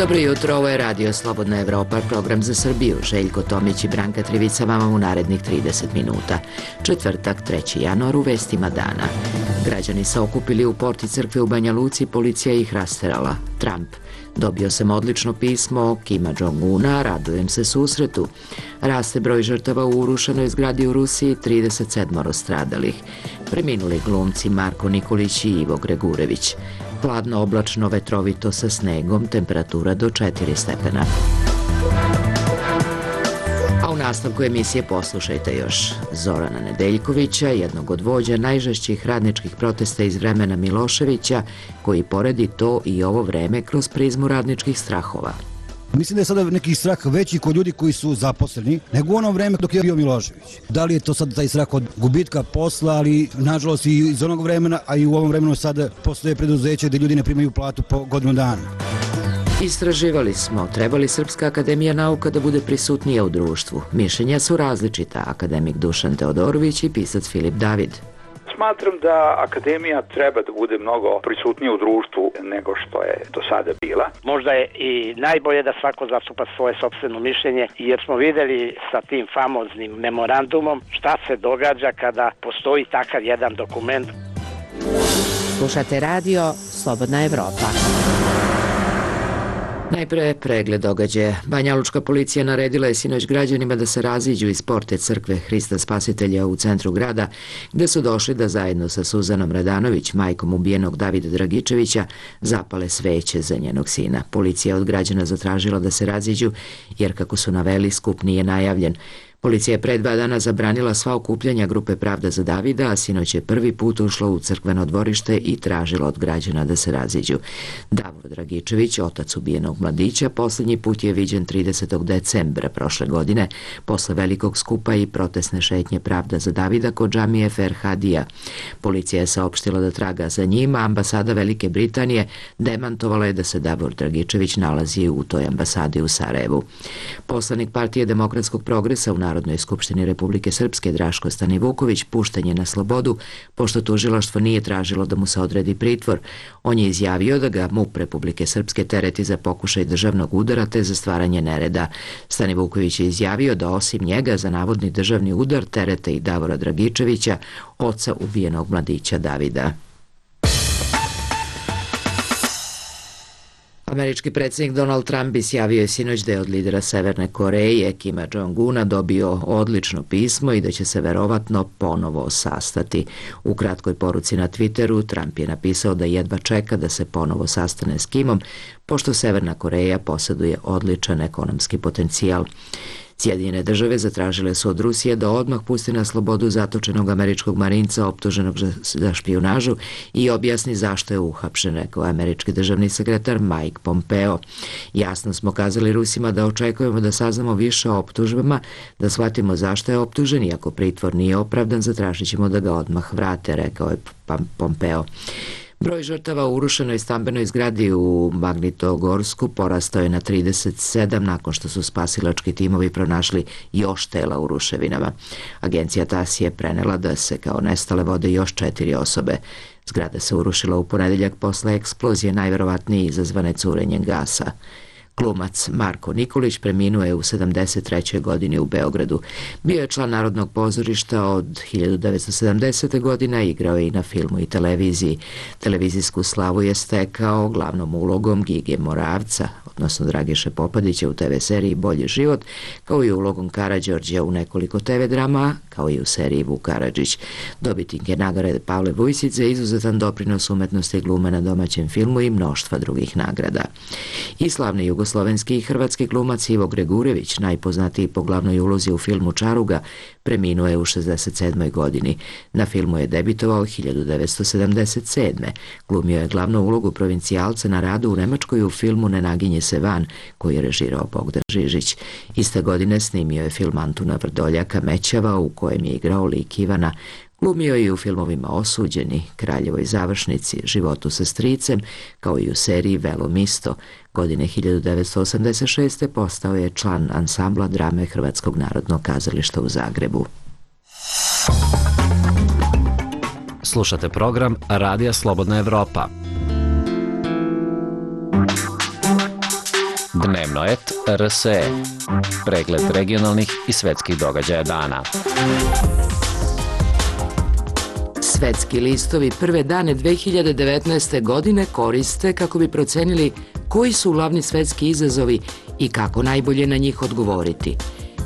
Dobro jutro, ovo je Radio Slobodna Evropa, program za Srbiju. Željko Tomić i Branka Trivica vama u narednih 30 minuta. Četvrtak, 3. januar, u vestima dana. Građani se okupili u porti crkve u Banja Luci, policija ih rasterala. Trump: dobio sam odlično pismo Kima Jong-una, radujem se susretu. Raste broj žrtava u urušenoj zgradi u Rusiji, 37 stradalih. Preminuli glumci Marko Nikolić i Ivo Gregurević. Hladno, oblačno, vetrovito sa snegom, temperatura do 4 stepena. A u nastavku emisije poslušajte još Zorana Nedeljkovića, jednog od vođa najžešćih radničkih protesta iz vremena Miloševića, koji poredi to i ovo vreme kroz prizmu radničkih strahova. Mislim da je sada neki strah veći kod ljudi koji su zaposleni nego u ono vreme dok je bio Milošević. Da li je to sad taj strah od gubitka posla, ali nažalost i iz onog vremena, a i u ovom vremenu sada postoje preduzeće gde ljudi ne primaju platu po godinu dana. Istraživali smo, treba li Srpska akademija nauka da bude prisutnija u društvu. Mišljenja su različita, akademik Dušan Teodorović i pisac Filip David. Smatram da akademija treba da bude mnogo prisutnija u društvu nego što je do sada bila. Možda je i najbolje da svako zastupa svoje sopstveno mišljenje, jer smo videli sa tim famoznim memorandumom šta se događa kada postoji takav jedan dokument. Slušate radio Slobodna Evropa. Najpre pregled događaja. Banjalučka policija naredila je sinoć građanima da se raziđu iz porte crkve Hrista Spasitelja u centru grada, gde su došli da zajedno sa Suzanom Radanović, majkom ubijenog Davida Dragičevića, zapale sveće za njenog sina. Policija je od građana zatražila da se raziđu, jer kako su naveli, skup nije najavljen. Policija je pre 2 dana zabranila sva okupljanja grupe Pravda za Davida, a sinoć je prvi put ušla u crkveno dvorište i tražila od građana da se raziđu. Davor Dragičević, otac ubijenog mladića, posljednji put je viđen 30. decembra prošle godine, posle velikog skupa i protestne šetnje Pravda za Davida kod džamije Ferhadija. Policija je saopštila da traga za njima, ambasada Velike Britanije demantovala je da se Davor Dragičević nalazi u toj ambasadi u Sarajevu. Poslanik Partije demokratskog progresa u Narodnoj skupštini Republike Srpske Draško Stanivuković pušten je na slobodu, pošto tužilaštvo nije tražilo da mu se odredi pritvor. On je izjavio da ga MUP Republike Srpske tereti za pokušaj državnog udara te za stvaranje nereda. Stanivuković je izjavio da osim njega za navodni državni udar terete i Davora Dragičevića, oca ubijenog mladića Davida. Američki predsjednik Donald Trump izjavio je sinoć da je od lidera Severne Koreje Kima Jong-una dobio odlično pismo i da će se verovatno ponovo sastati. U kratkoj poruci na Twitteru Trump je napisao da jedva čeka da se ponovo sastane s Kimom, pošto Severna Koreja posjeduje odličan ekonomski potencijal. Sjedinjene države zatražile su od Rusije da odmah pusti na slobodu zatočenog američkog marinca optuženog za špijunažu i objasni zašto je uhapšen, rekao američki državni sekretar Mike Pompeo. Jasno smo kazali Rusima da očekujemo da saznamo više o optužbama, da shvatimo zašto je optužen i ako pritvor nije opravdan, zatražit ćemo da ga odmah vrate, rekao je Pompeo. Broj žrtava u urušenoj stambenoj zgradi u Magnitogorsku porastao je na 37 nakon što su spasilački timovi pronašli još tela u ruševinama. Agencija TASS je prenela da se kao nestale vode još 4 osobe. Zgrada se urušila u ponedeljak posle eksplozije, najverovatnije izazvane curenjem gasa. Glumac Marko Nikolić preminuo je u 73. godini u Beogradu. Bio je član Narodnog pozorišta od 1970. godina, igrao je i na filmu i televiziji. Televizijsku slavu je stekao glavnom ulogom Gige Moravca, odnosno Dragiše Popadića u TV seriji Bolji život, kao i ulogom Karađorđa u nekoliko TV drama, kao i u seriji Vuk Karadžić. Dobitnik je nagrade Pavle Vujsić za izuzetan doprinos umetnosti glume na domaćem filmu i mnoštva drugih nagrada. I slavni jugoslovenski i hrvatski glumac Ivo Gregurević, najpoznatiji po glavnoj ulozi u filmu Čaruga, preminuo je u 67. godini. Na filmu je debitovao 1977. Glumio je glavnu ulogu provincijalca na radu u Nemačkoj u filmu Ne naginje se van, koji je režirao Bogdan Žižić. Iste godine snimio je film Antuna Vrdoljaka Mećava, u kojem je igrao lik Ivana. Glumio je i u filmovima Osuđeni, Kraljevoj završnici, Životu sa stricem, kao i u seriji Velo Misto. Godine 1986. postao je član ansambla drame Hrvatskog narodnog kazališta u Zagrebu. Slušate program Radija Slobodna Evropa. Dnevnoet RSE. Pregled regionalnih i svetskih događaja dana. Svetski listovi prve dane 2019. godine koriste kako bi procenili koji su glavni svetski izazovi i kako najbolje na njih odgovoriti.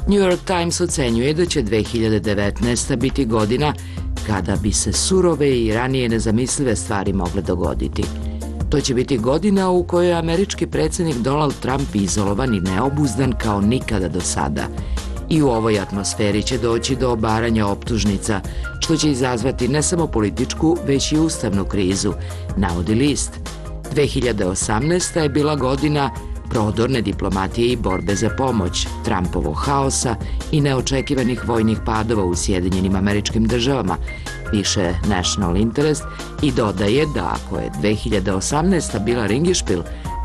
New York Times ocenjuje da će 2019. biti godina kada bi se surove i ranije nezamislive stvari mogle dogoditi. To će biti godina u kojoj je američki predsjednik Donald Trump izolovan i neobuzdan kao nikada do sada. I u ovoj atmosferi će doći do obaranja optužnica, što će izazvati ne samo političku, već i ustavnu krizu, navodi list. 2018. je bila godina prodorne diplomatije i borbe za pomoć, Trumpovog haosa i neočekivanih vojnih padova u Sjedinjenim Američkim Državama, piše National Interest i dodaje da ako je 2018. bila ringišpil,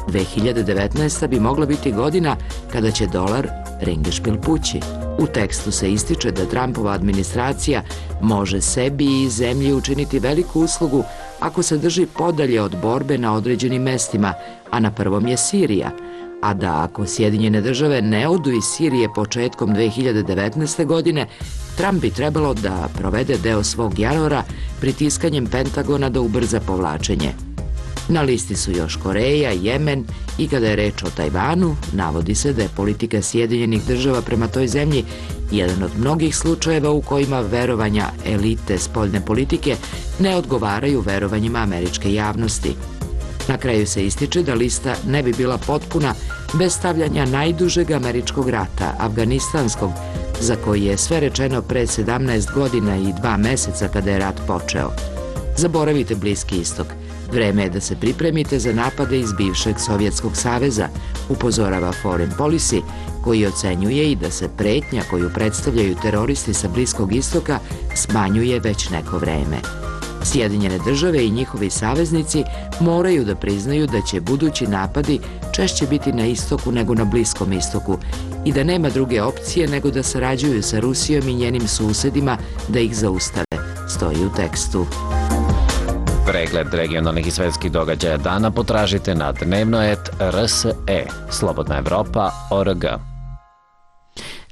2019. bi mogla biti godina kada će dolar ringišpil pući. U tekstu se ističe da Trumpova administracija može sebi i zemlji učiniti veliku uslugu ako se drži podalje od borbe na određenim mestima, a na prvom je Sirija, a da ako Sjedinjene Države ne odu iz Sirije početkom 2019. godine, Trump bi trebalo da provede deo svog janora pritiskanjem Pentagona da ubrza povlačenje. Na listi su još Koreja, Jemen i kada je reč o Tajvanu, navodi se da je politika Sjedinjenih Država prema toj zemlji jedan od mnogih slučajeva u kojima verovanja elite spoljne politike ne odgovaraju verovanjima američke javnosti. Na kraju se ističe da lista ne bi bila potpuna bez stavljanja najdužeg američkog rata, afganistanskog, za koji je sve rečeno pre 17 godina i 2 meseca kada je rat počeo. Zaboravite Bliski istok. Vreme je da se pripremite za napade iz bivšeg Sovjetskog saveza, upozorava Foreign Policy, koji ocenjuje i da se pretnja koju predstavljaju teroristi sa Bliskog istoka smanjuje već neko vreme. Sjedinjene Države i njihovi saveznici moraju da priznaju da će budući napadi češće biti na istoku nego na Bliskom istoku i da nema druge opcije nego da sarađuju sa Rusijom i njenim susedima da ih zaustave, stoji u tekstu. Pregled regionalnih i svetskih događaja dana potražite na Dnevnoet RSE, Slobodna Evropa.org.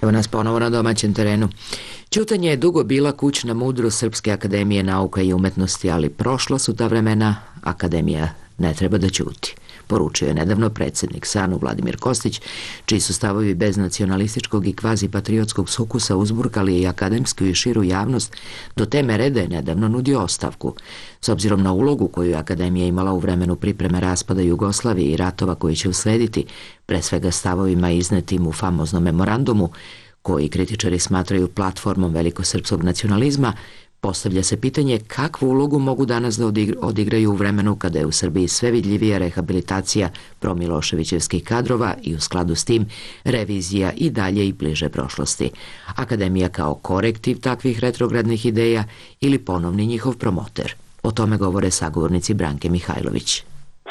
Evo nas ponovo na domaćem terenu. Ćutanje je dugo bila kućna mudrost Srpske akademije nauka i umetnosti, ali prošla su ta vremena, akademija ne treba da ćuti. Poručio je nedavno predsjednik SANU Vladimir Kostić, čiji su stavovi bez nacionalističkog i kvazi-patriotskog sukusa uzburkali i akademsku i širu javnost, do te mere da je nedavno nudio ostavku. S obzirom na ulogu koju je akademija imala u vremenu pripreme raspada Jugoslavije i ratova koji će uslediti, pre svega stavovima iznetim u famoznom memorandumu, koji kritičari smatraju platformom velikosrpskog nacionalizma, postavlja se pitanje kakvu ulogu mogu danas da odigraju u vremenu kada je u Srbiji sve vidljivija rehabilitacija promiloševićevskih kadrova i u skladu s tim revizija i dalje i bliže prošlosti. Akademija kao korektiv takvih retrogradnih ideja ili ponovni njihov promoter. O tome govore sagovornici Branke Mihajlović.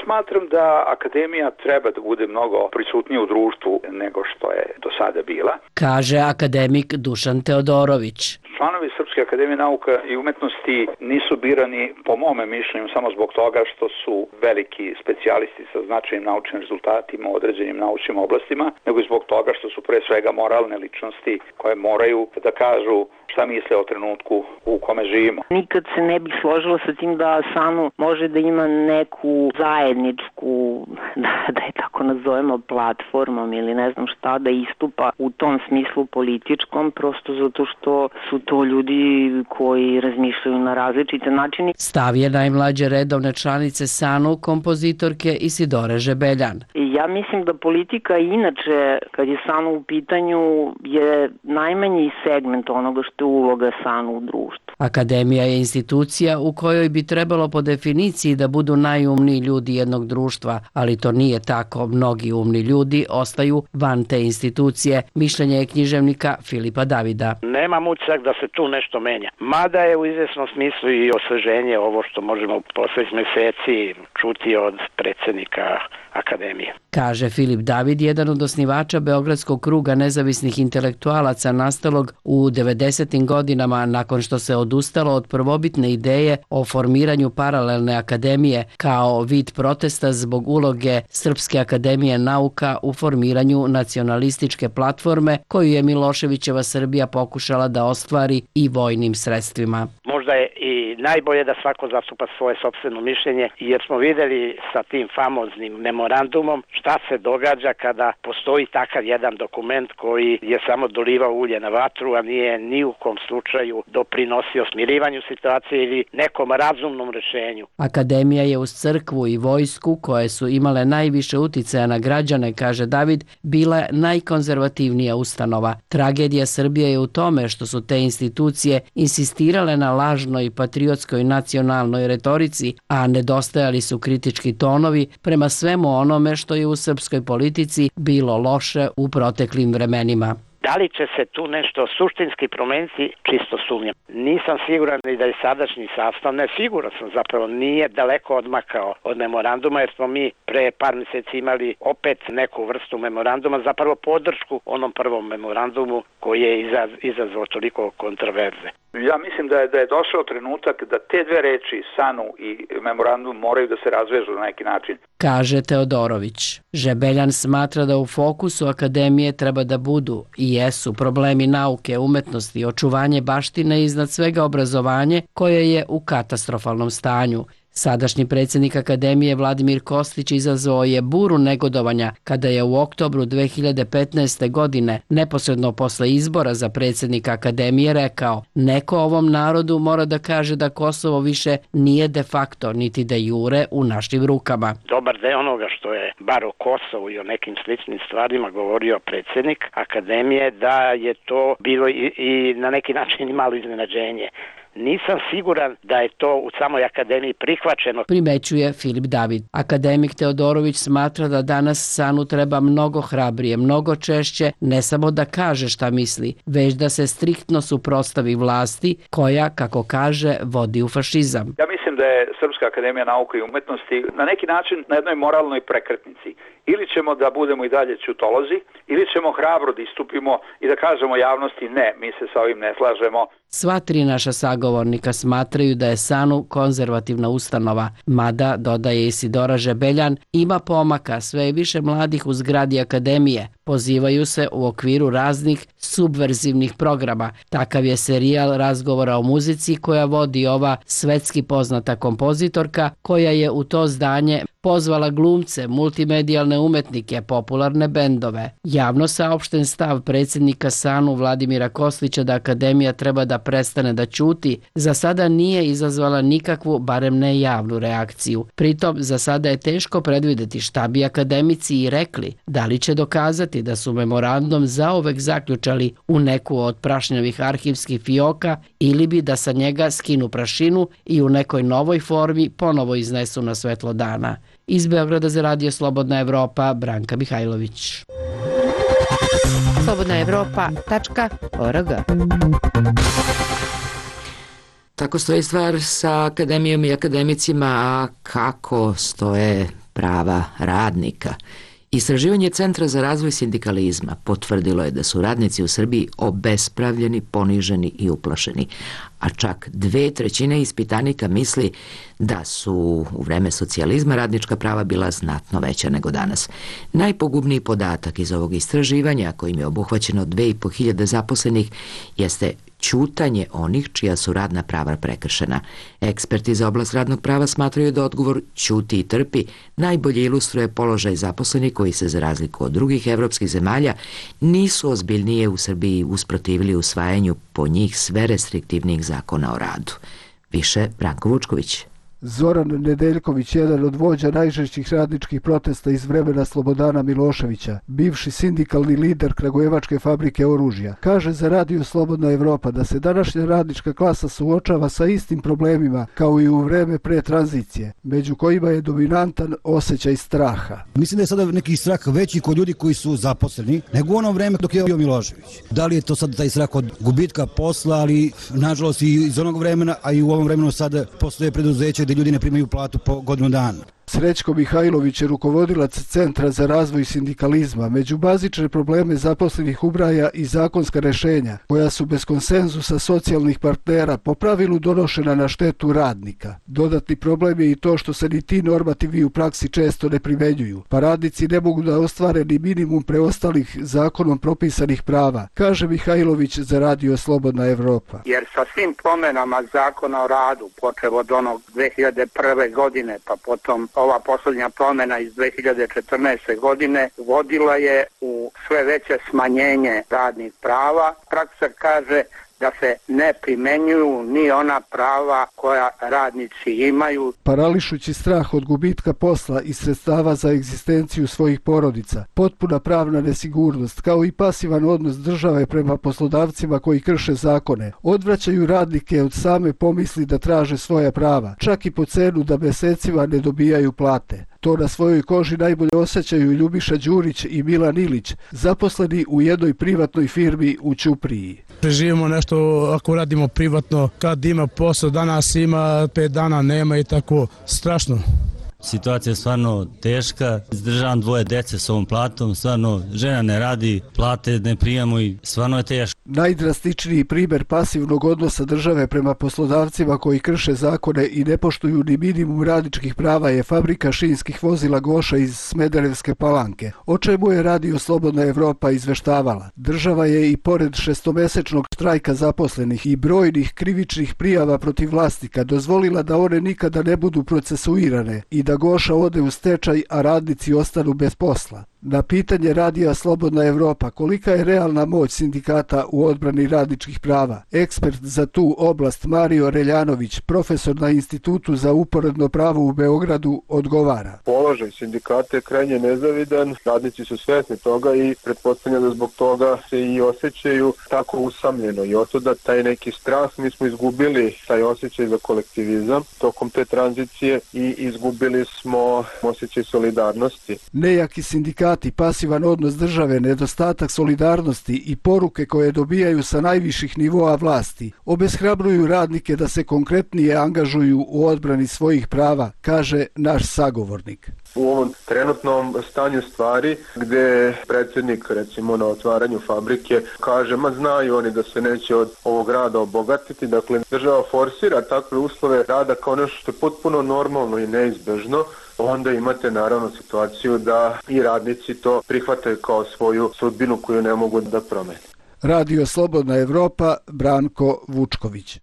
Smatram da akademija treba da bude mnogo prisutnija u društvu nego što je do sada bila, kaže akademik Dušan Teodorović. Članovi Srpske akademije nauka i umetnosti nisu birani, po mome mišljenju, samo zbog toga što su veliki specijalisti sa značajnim naučnim rezultatima u određenim naučnim oblastima, nego i zbog toga što su pre svega moralne ličnosti koje moraju da kažu šta misle o trenutku u kome živimo. Nikad se ne bih složila sa tim da SANU može da ima neku zajedničku, da je tako nazovemo, platformom ili ne znam šta, da istupa u tom smislu političkom, prosto zato što su to ljudi koji razmišljaju na različite načine. Stav je najmlađe redovne članice SANU, kompozitorke Isidore Žebeljan. Ja mislim da politika inače, kad je SANU u pitanju, je najmanji segment onoga što je uloga SANU u društvu. Akademija je institucija u kojoj bi trebalo po definiciji da budu najumniji ljudi jednog društva, ali to nije tako. Mnogi umni ljudi ostaju van te institucije. Mišljenje je književnika Filipa Davida. Nemam utisak da se tu nešto menja. Mada je u izvesnom smislu i osveženje ovo što možemo poslednjih meseci čuti od predsjednika akademije. Kaže Filip David, jedan od osnivača Beogradskog kruga nezavisnih intelektualaca nastalog u 90. godinama nakon što se od odustalo od prvobitne ideje o formiranju paralelne akademije kao vid protesta zbog uloge Srpske akademije nauka u formiranju nacionalističke platforme koju je Miloševićeva Srbija pokušala da ostvari i vojnim sredstvima. Možda je i najbolje da svako zastupa svoje sopstveno mišljenje, jer smo videli sa tim famoznim memorandumom šta se događa kada postoji takav jedan dokument koji je samo dolivao ulje na vatru, a nije ni u kom slučaju doprinosio smirivanju situacije ili nekom razumnom rešenju. Akademija je uz crkvu i vojsku, koje su imale najviše uticaja na građane, kaže David, bila najkonzervativnija ustanova. Tragedija Srbije je u tome što su te institucije insistirale na lažnoj patriotskoj nacionalnoj retorici, a nedostajali su kritički tonovi prema svemu onome što je u srpskoj politici bilo loše u proteklim vremenima. Da li će se tu nešto suštinski promeniti, čisto sumnjam. Nisam siguran ni da je sadašnji sastav, ne siguran sam zapravo, nije daleko odmakao od memoranduma, jer smo mi pre par mjeseci imali opet neku vrstu memoranduma, zapravo podršku onom prvom memorandumu koji je izazvao toliko kontroverze. Ja mislim da je došao trenutak da te dve reči, SANU i memorandum, moraju da se razvežu na neki način. Kaže Teodorović. Žebeljan smatra da u fokusu akademije treba da budu i jesu problemi nauke, umetnosti, očuvanje baštine i iznad svega obrazovanje koje je u katastrofalnom stanju. Sadašnji predsjednik Akademije Vladimir Kostić izazvao je buru negodovanja kada je u oktobru 2015. godine, neposredno posle izbora za predsjednika Akademije, rekao: neko ovom narodu mora da kaže da Kosovo više nije de facto niti de jure u našim rukama. Dobar deo onoga što je bar o Kosovu i o nekim sličnim stvarima govorio predsjednik Akademije, da je to bilo i na neki način i malo iznenađenje. Nisam siguran da je to u samoj akademiji prihvaćeno, primećuje Filip David. Akademik Teodorović smatra da danas SANU treba mnogo hrabrije, mnogo češće, ne samo da kaže šta misli, već da se striktno suprotstavi vlasti koja, kako kaže, vodi u fašizam. Ja mislim da je Srpska akademija nauke i umetnosti na neki način na jednoj moralnoj prekretnici. Ili ćemo da budemo i dalje ćutolozi, ili ćemo hrabro da istupimo i da kažemo javnosti ne, mi se sa ovim ne slažemo. Sva tri naša sagovornika smatraju da je SANU konzervativna ustanova, mada, dodaje Isidora Žebeljan, ima pomaka, sve je više mladih u zgradi akademije. Pozivaju se u okviru raznih subverzivnih programa. Takav je serijal Razgovora o muzici koja vodi ova svetski poznata kompozitorka, koja je u to zdanje pozvala glumce, multimedijalne umetnike, popularne bendove. Javno saopšten stav predsjednika SANU Vladimira Kostića da akademija treba da prestane da ćuti, za sada nije izazvala nikakvu, barem ne javnu reakciju. Pritom, za sada je teško predvideti šta bi akademici i rekli, da li će dokazati da su memorandum zauvek zaključali u neku od prašnjavih arhivskih fioka ili bi da sa njega skinu prašinu i u nekoj novoj formi ponovo iznesu na svetlo dana. Iz Beograda za Radio Slobodna Evropa, Branka Mihajlović. slobodnaevropa.org. Tako stoji stvar sa akademijom i akademicima, a kako stoje prava radnika? Istraživanje Centra za razvoj sindikalizma potvrdilo je da su radnici u Srbiji obespravljeni, poniženi i uplašeni, a čak 2/3 ispitanika misli da su u vreme socijalizma radnička prava bila znatno veća nego danas. Najpogubniji podatak iz ovog istraživanja, kojim je obuhvaćeno 2500 zaposlenih, jeste ćutanje onih čija su radna prava prekršena. Eksperti za oblast radnog prava smatraju da odgovor ćuti i trpi najbolje ilustruje položaj zaposlenih koji se, za razliku od drugih evropskih zemalja, nisu ozbiljnije u Srbiji usprotivili usvajanju po njih sve restriktivnijih zakona o radu. Više Branko Vučković. Zoran Nedeljković, jedan od vođa najžešćih radničkih protesta iz vremena Slobodana Miloševića, bivši sindikalni lider Kragujevačke fabrike oružja, kaže za Radio Slobodna Evropa da se današnja radnička klasa suočava sa istim problemima kao i u vreme pre tranzicije, među kojima je dominantan osjećaj straha. Mislim da je sada neki strah veći kod ljudi koji su zaposleni nego u ono vreme dok je bio Milošević. Da li je to sad taj strah od gubitka posla, ali nažalost i iz onog vremena, a i u ovom vremenu sada postoje preduzeće gdje ljudi ne primaju platu po godinu dana. Srećko Mihajlović je rukovodilac Centra za razvoj sindikalizma. Među bazične probleme zaposlenih ubraja i zakonska rešenja, koja su bez konsenzusa socijalnih partnera po pravilu donošena na štetu radnika. Dodatni problem je i to što se ni ti normativi u praksi često ne primenjuju, pa radnici ne mogu da ostvare ni minimum preostalih zakonom propisanih prava, kaže Mihajlović za Radio Slobodna Evropa. Jer sa svim promenama zakona o radu, počev od onog 2001. godine, pa potom ova posljednja promjena iz 2014. godine, vodila je u sve veće smanjenje radnih prava. Praksa kaže da se ne primenjuju ni ona prava koja radnici imaju. Parališući strah od gubitka posla i sredstava za egzistenciju svojih porodica, potpuna pravna nesigurnost, kao i pasivan odnos države prema poslodavcima koji krše zakone, odvraćaju radnike od same pomisli da traže svoja prava, čak i po cenu da mesecima ne dobijaju plate. To na svojoj koži najbolje osjećaju Ljubiša Đurić i Milan Ilić, zaposleni u jednoj privatnoj firmi u Ćupriji. Preživimo nešto ako radimo privatno, kad ima posao, danas ima, 5 dana nema i tako, strašno. Situacija je stvarno teška, izdržavam 2 dece s ovom platom, stvarno žena ne radi, plate ne prijemo i stvarno je teško. Najdrastičniji primjer pasivnog odnosa države prema poslodavcima koji krše zakone i ne poštuju ni minimum radničkih prava je fabrika šinskih vozila Goša iz Smederevske Palanke, o čemu je Radio Slobodna Evropa izveštavala. Država je i pored 6-mesečnog štrajka zaposlenih i brojnih krivičnih prijava protiv vlasnika dozvolila da one nikada ne budu procesuirane i da Goša ode u stečaj, a radnici ostanu bez posla. Na pitanje Radija Slobodna Evropa kolika je realna moć sindikata u odbrani radničkih prava, ekspert za tu oblast Mario Reljanović, profesor na Institutu za uporedno pravo u Beogradu, odgovara. Položaj sindikata je krajnje nezavidan, radnici su svesni toga i pretpostavljam da zbog toga se i osjećaju tako usamljeno i otuda taj neki strah. Mi smo izgubili taj osjećaj za kolektivizam tokom te tranzicije i izgubili smo osjećaj solidarnosti. Nejaki sindikati, pasivan odnos države, nedostatak solidarnosti i poruke koje dobijaju sa najviših nivoa vlasti obeshrabruju radnike da se konkretnije angažuju u odbrani svojih prava, kaže naš sagovornik. U ovom trenutnom stanju stvari gdje predsjednik recimo na otvaranju fabrike kaže znaju oni da se neće od ovog rada obogatiti, dakle država forsira takve uslove rada kao nešto što je potpuno normalno i neizbežno, onda imate naravno situaciju da i radnici to prihvataju kao svoju sudbinu koju ne mogu da promene. Radio Slobodna Evropa, Branko Vučković.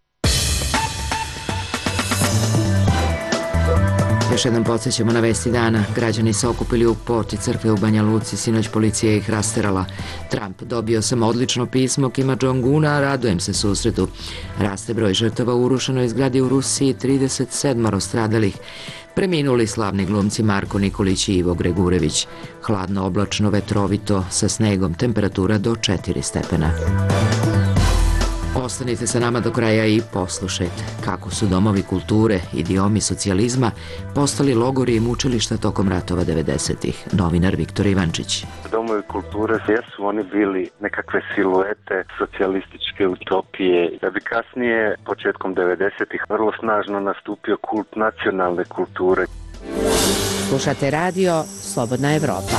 Još jednom podsjećamo na vesti dana. Građani se okupili u porti crkve u Banja Luci, sinoć policija ih rasterala. Trump: dobio sam odlično pismo Kima Jong-una, a radujem se susretu. Raste broj žrtava u urušenoj zgradi u Rusiji, 37 stradalih. Preminuli slavni glumci Marko Nikolić i Ivo Gregurević. Hladno, oblačno, vetrovito, sa snegom, temperatura do 4 stepena. Ostanite sa nama do kraja i poslušajte kako su domovi kulture, idiomi socijalizma postali logori i mučilišta tokom ratova 90-ih. Novinar Viktor Ivančić. Domovi kulture jesu oni bili nekakve siluete socijalističke utopije, da bi kasnije, početkom 90-ih, vrlo snažno nastupio kult nacionalne kulture. Slušate Radio Slobodna Evropa.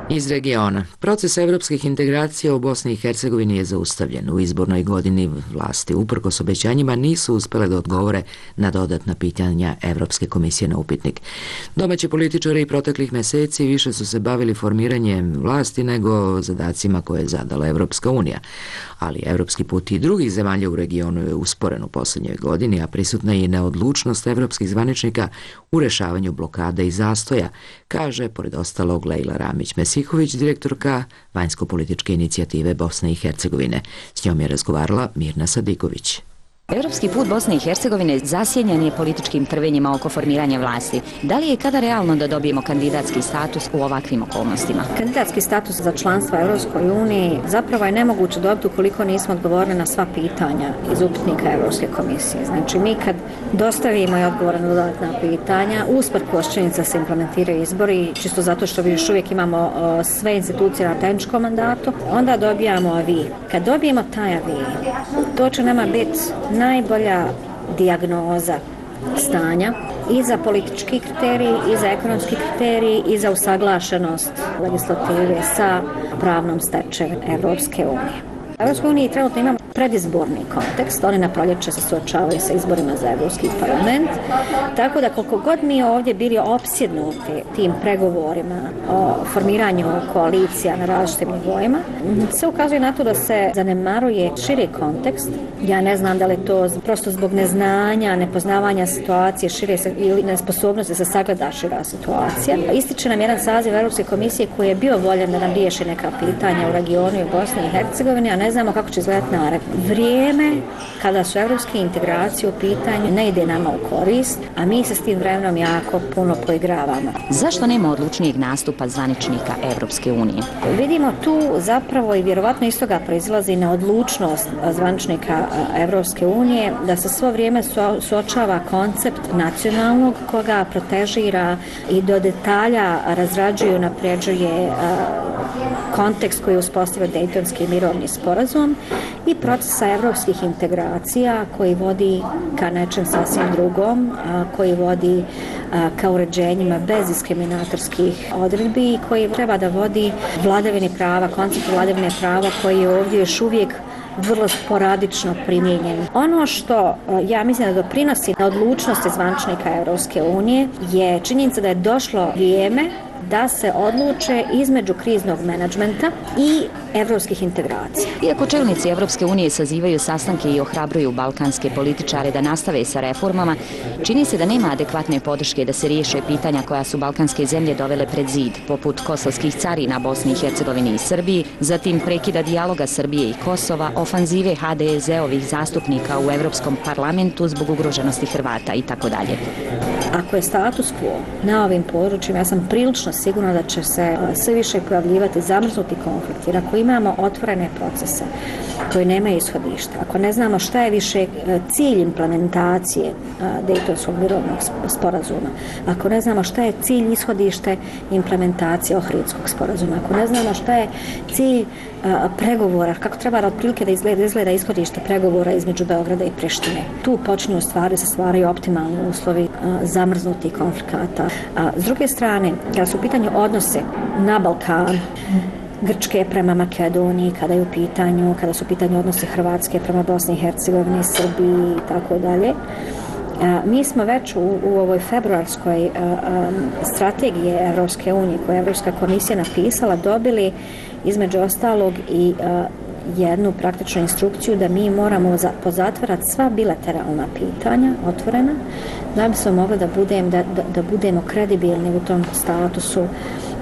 Iz regiona. Proces evropskih integracija u Bosni i Hercegovini je zaustavljen. U izbornoj godini vlasti, uprkos obećanjima, nisu uspjele da odgovore na dodatna pitanja Evropske komisije na upitnik. Domaći političari i proteklih meseci više su se bavili formiranjem vlasti nego zadacima koje je zadala Evropska unija. Ali evropski put i drugih zemalja u regionu je usporen u posljednjoj godini, a prisutna je i neodlučnost evropskih zvaničnika u rešavanju blokada i zastoja, kaže, pored ostalog, Lejla Ramić-Mesihović, direktorka vanjsko-političke inicijative Bosne i Hercegovine. S njom je razgovarala Mirna Sadiković. Evropski put Bosne i Hercegovine zasjenjan je političkim trvenjima oko formiranja vlasti. Da li je kada realno da dobijemo kandidatski status u ovakvim okolnostima? Kandidatski status za članstvo Evropskoj uniji zapravo je nemoguće dobiti ukoliko nismo odgovorili na sva pitanja iz upitnika Evropske komisije. Znači, mi kad dostavimo i odgovore na dodatna pitanja, usprkos činjenica se implementiraju izbori, čisto zato što još uvijek imamo sve institucije na tehničkom mandatu, onda dobijamo avi. Kad dobijemo taj avi, to će nama biti najbolja dijagnoza stanja i za politički kriterij, i za ekonomski kriterij, i za usaglašenost legislative sa pravnom stečevinom Evropske unije. Evropska unija trenutno ima predizborni kontekst, oni na proljeće se suočavaju sa izborima za Evropski parlament, tako da koliko god mi ovdje bili opsjednuti tim pregovorima o formiranju koalicija na različitim nivoima, se ukazuje na to da se zanemaruje širi kontekst. Ja ne znam da li to prosto zbog neznanja, nepoznavanja situacije šire ili nesposobnosti da se sagleda šira situacija. Ističe nam jedan saziv Evropske komisije koji je bio voljan da nam riješi neka pitanja u regionu i u Bosni i Hercegovini, a ne znamo kako će izgledati naredno. Vrijeme kada su evropske integracije u pitanju ne ide nama u korist, a mi se s tim vremenom jako puno poigravamo. Zašto nema odlučnijeg nastupa zvaničnika Evropske unije? Vidimo tu zapravo i vjerovatno iz toga proizilazi na odlučnost zvaničnika Evropske unije da se svo vrijeme suočava koncept nacionalnog koga protežira i do detalja razrađuje i napređuje kontekst koji je uspostavio Dejtonski mirovni sporazum i procesa evropskih integracija koji vodi ka nečem sasvim drugom, koji vodi ka uređenjima bez diskriminatorskih odredbi i koji treba da vodi vladavini prava, koncept vladavine prava koji je ovdje još uvijek vrlo sporadično primijenjen. Ono što ja mislim da doprinosi na odlučnosti zvaničnika Evropske unije je činjenica da je došlo vrijeme da se odluče između kriznog menadžmenta i evropskih integracija. Iako čelnici Evropske unije sazivaju sastanke i ohrabruju balkanske političare da nastave sa reformama, čini se da nema adekvatne podrške da se riješe pitanja koja su balkanske zemlje dovele pred zid, poput kosovskih carina Bosni i Hercegovini i Srbiji, zatim prekida dijaloga Srbije i Kosova, ofanzive HDZ-ovih zastupnika u Evropskom parlamentu zbog ugroženosti Hrvata itd. Ako je status quo na ovim područjima, ja sam prilično sigurna da će se sve više pojavljivati zamrznuti konflikt, jer ako imamo otvorene procese koji nemaju ishodišta, ako ne znamo šta je više cilj implementacije Dejtonskog mirovnog sporazuma, ako ne znamo šta je cilj ishodište implementacije Ohridskog sporazuma, ako ne znamo šta je cilj pregovora, kako treba otprilike da izgleda ishodište pregovora između Beograda i Prištine. Tu počinju se stvaraju optimalni uslovi zamrznutih konflikata. S druge strane, kada su u pitanju odnose na Balkanu, Grčke prema Makedoniji, kada su u pitanju odnose Hrvatske prema Bosni i Hercegovini, Srbiji i tako dalje, mi smo već u ovoj februarskoj strategiji Evropske unije koju je Evropska komisija napisala dobili između ostalog i jednu praktičnu instrukciju da mi moramo pozatvarati sva bilateralna pitanja otvorena da bi se mogli da budemo kredibilni u tom statusu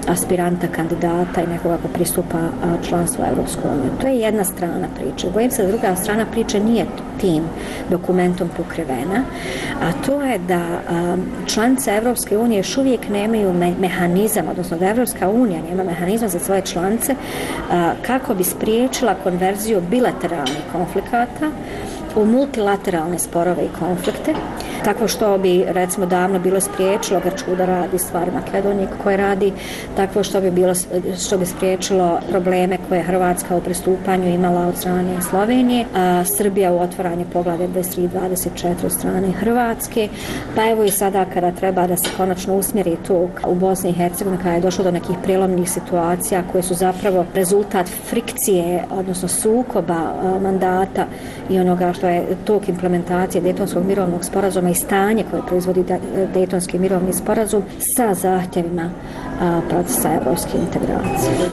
aspiranta, kandidata i nekoga ko pristupa članstvu Evropsku uniju. To je jedna strana priče. Bojim se da druga strana priče nije tim dokumentom pokrivena, a to je da članice Evropske unije još uvijek nemaju mehanizam, odnosno da Evropska unija nema mehanizam za svoje članice kako bi spriječila konverziju bilateralnih konflikata u multilateralne sporove i konflikte, tako što bi recimo davno bilo spriječilo Grčku da radi stvari Makedonije koje radi, tako što bi spriječilo probleme koje Hrvatska u pristupanju imala od strane Slovenije, a Srbija u otvaranju poglavlja 23-24 od strane Hrvatske, pa evo i sada kada treba da se konačno usmjeri to u Bosni i Hercegovini kada je došlo do nekih prijelomnih situacija koje su zapravo rezultat frikcije, odnosno sukoba mandata i onoga što je tok implementacije Dejtonskog mirovnog sporazuma i stanje koje proizvodi Dejtonski mirovni sporazum sa zahtjevima procesa evropske integracije.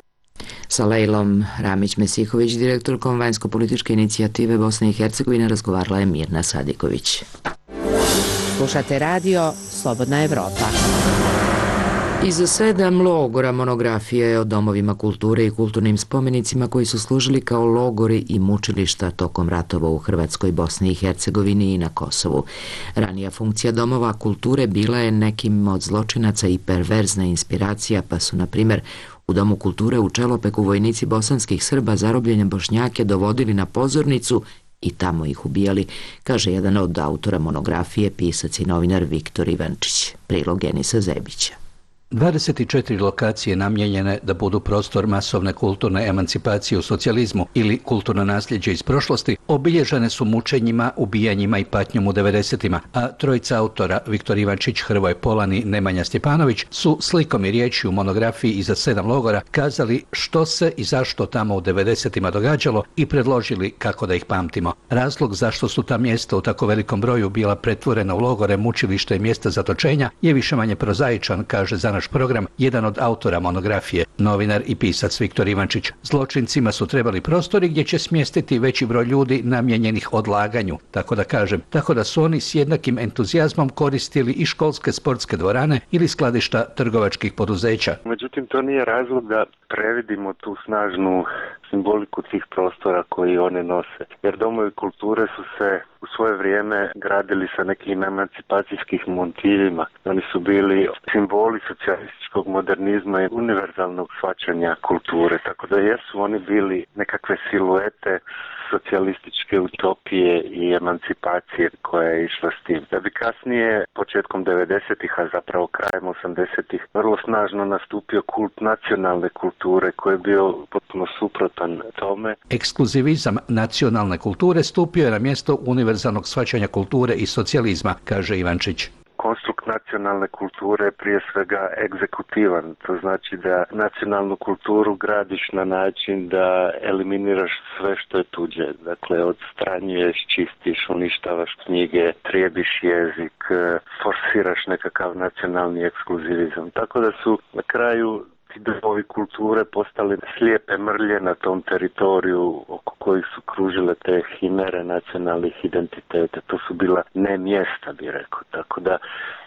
Sa Lejlom Ramić-Mesihović, direktorkom vanjsko-političke inicijative Bosne i Hercegovine, razgovarala je Mirna Sadiković. Slušate radio Slobodna Evropa. Iza 7 logora monografija je o domovima kulture i kulturnim spomenicima koji su služili kao logori i mučilišta tokom ratova u Hrvatskoj, Bosni i Hercegovini i na Kosovu. Ranija funkcija domova kulture bila je nekim od zločinaca i perverzna inspiracija, pa su, na primjer, u Domu kulture u Čelopeku vojnici bosanskih Srba zarobljene Bošnjake dovodili na pozornicu i tamo ih ubijali, kaže jedan od autora monografije, pisac i novinar Viktor Ivančić. Prilog Enisa Zebića. 24 lokacije namijenjene da budu prostor masovne kulturne emancipacije u socijalizmu ili kulturno nasljeđe iz prošlosti obilježene su mučenjima, ubijanjima i patnjom u 90-ima, a trojica autora, Viktor Ivančić, Hrvoje Polani, Nemanja Stjepanović, su slikom i riječi u monografiji Iza 7 logora kazali što se i zašto tamo u 90-ima događalo i predložili kako da ih pamtimo. Razlog zašto su ta mjesta u tako velikom broju bila pretvorena u logore, mučilište i mjesta zatočenja je više-manje prozaičan, kaže za naš program jedan od autora monografije, novinar i pisac Viktor Ivančić. Zločincima su trebali prostori gdje će smjestiti veći broj ljudi namijenjenih odlaganju, tako da su oni s jednakim entuzijazmom koristili i školske sportske dvorane ili skladišta trgovačkih poduzeća. Međutim, to nije razlog da previdimo tu snažnu simboliku tih prostora koji one nose. Jer domovi kulture su se u svoje vrijeme gradili sa nekim emancipacijskih motivima. Oni su bili simboli socijalističkog modernizma i univerzalnog shvaćanja kulture. Tako da jesu oni bili nekakve siluete socijalističke utopije i emancipacije koja je išla s tim. Da bi kasnije, početkom 90-ih, a zapravo krajem 80-ih, vrlo snažno nastupio kult nacionalne kulture koji je bio potpuno suprotan tome. Ekskluzivizam nacionalne kulture stupio je na mjesto univerzalnog shvaćanja kulture i socijalizma, kaže Ivančić. Konstrukt nacionalne kulture je prije svega egzekutivan. To znači da nacionalnu kulturu gradiš na način da eliminiraš sve što je tuđe. Dakle, odstranjuješ, čistiš, uništavaš knjige, trijebiš jezik, forsiraš nekakav nacionalni ekskluzivizam. Tako da su na kraju ti domovi kulture postali slijepe mrlje na tom teritoriju oko kojih su kružile te himere nacionalnih identiteta. To su bila ne mjesta, bi rekao. Tako da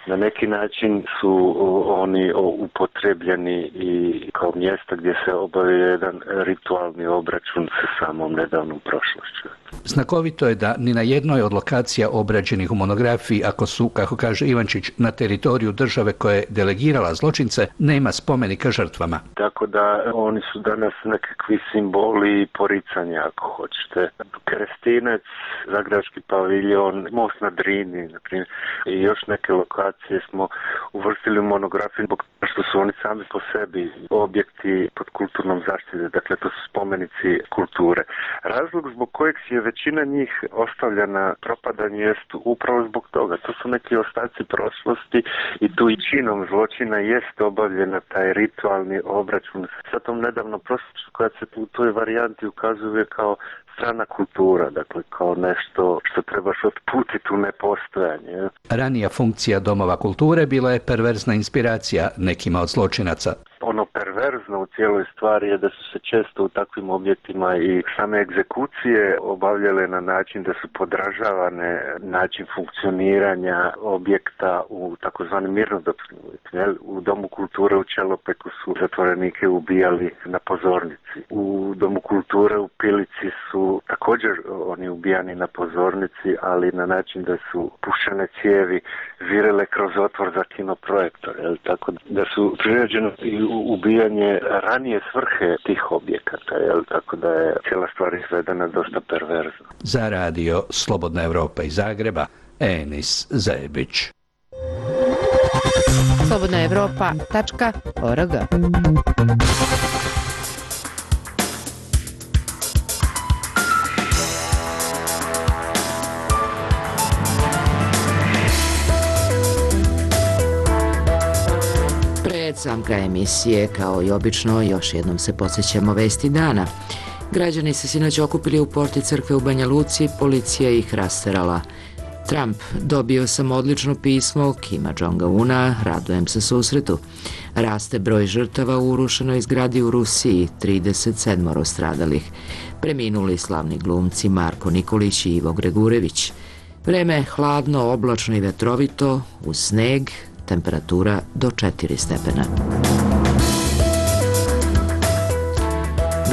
na neki način su oni upotrebljeni i kao mjesta gdje se obavio jedan ritualni obračun sa samom nedavnom prošlošću. Znakovito je da ni na jednoj od lokacija obrađenih u monografiji, ako su, kako kaže Ivančić, na teritoriju države koja je delegirala zločince, nema spomenika žrtvama. Tako da oni su danas nekakvi simboli i poricanja, ako hoćete. Krestinec, Zagrebački paviljon, Most na Drini, na primjer, i još neke lokacije smo uvrstili u monografiju zbog što su oni sami po sebi objekti pod kulturnom zaštitom, dakle to su spomenici kulture. Razlog zbog kojeg je većina njih ostavljena propadanju jest upravo zbog toga. To su neki ostaci prošlosti i tu i činom zločina jest obavljena taj ritualni obračun sa tom nedavno prošlošću koja se u toj varijanti ukazuje kao strana kultura, dakle kao nešto što trebaš otputiti u nepostojanje. Ranija funkcija domova kulture bila je perverzna inspiracija nekima od zločinaca. Ono perverzno u cijeloj stvari je da su se često u takvim objektima i same egzekucije obavljale na način da su podražavane način funkcioniranja objekta u takozvanim mirnodopskim uvjetima. U Domu kulture u Čelopeku su zatvorenike ubijali na pozornici. U Domu kulture u Pilici su također oni ubijani na pozornici, ali na način da su pušene cijevi virele kroz otvor za kinoprojektor. Tako da su priređeno i ubijanje ranije svrhe tih objekata, tako da je cijela stvar izvedena dosta perverzno. Za radio Slobodna Evropa iz Zagreba, Enis Zebić. slobodnaevropa.org. Sam kraj emisije, kao i obično, još jednom se podsjećamo vesti dana. Građani se sinoć okupili u porti crkve u Banja Luci, policija ih rasterala. Trump: dobio sam odlično pismo Kima Jong-una, radujem se susretu. Raste broj žrtava u urušenoj zgradi u Rusiji, 37 stradalih. Preminuli slavni glumci Marko Nikolić i Ivo Gregurević. Vreme hladno, oblačno i vetrovito, uz sneg, temperatura do 4 stepena.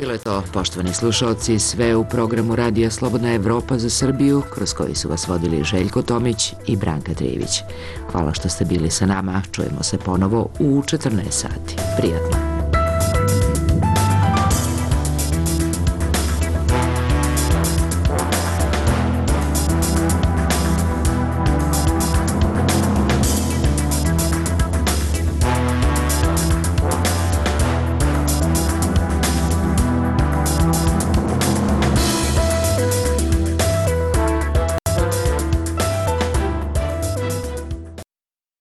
Bilo je to, poštovani slušalci, sve u programu Radija Slobodna Evropa za Srbiju, kroz koji su vas vodili Željko Tomić i Branka Trijević. Hvala što ste bili sa nama, čujemo se ponovo u 14 sati. Prijatno.